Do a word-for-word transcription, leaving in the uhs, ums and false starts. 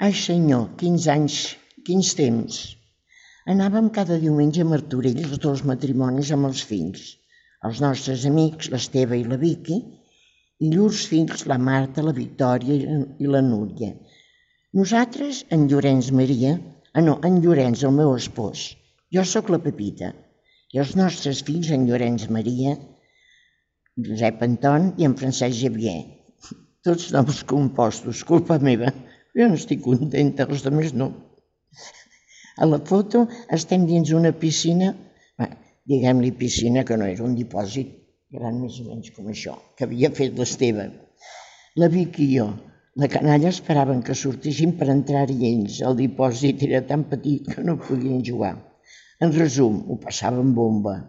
Ai senyor, quins anys, quins temps. Anàvem cada diumenge a Martorell, els dos matrimonis amb els fills. Els nostres amics, l'Esteve i la Vicky, i llurs fills, la Marta, la Victòria i la Núria. Nosaltres, en Llorenç Maria, ah no, en Llorenç, el meu espòs. Jo sóc la Pepita. I els nostres fills, en Llorenç Maria, Josep Anton i en Francesc Xavier. Tots noms compostos, culpa meva. Jo no estic contenta, els altres no. A la foto estem dins una piscina, diguem-li piscina, que no era un dipòsit, gran més o menys com això, que havia fet l'Esteve. La Vicky i jo, la canalla esperaven que sortissin per entrar-hi ells. El dipòsit era tan petit que no podien jugar. En resum, ho passàvem bomba.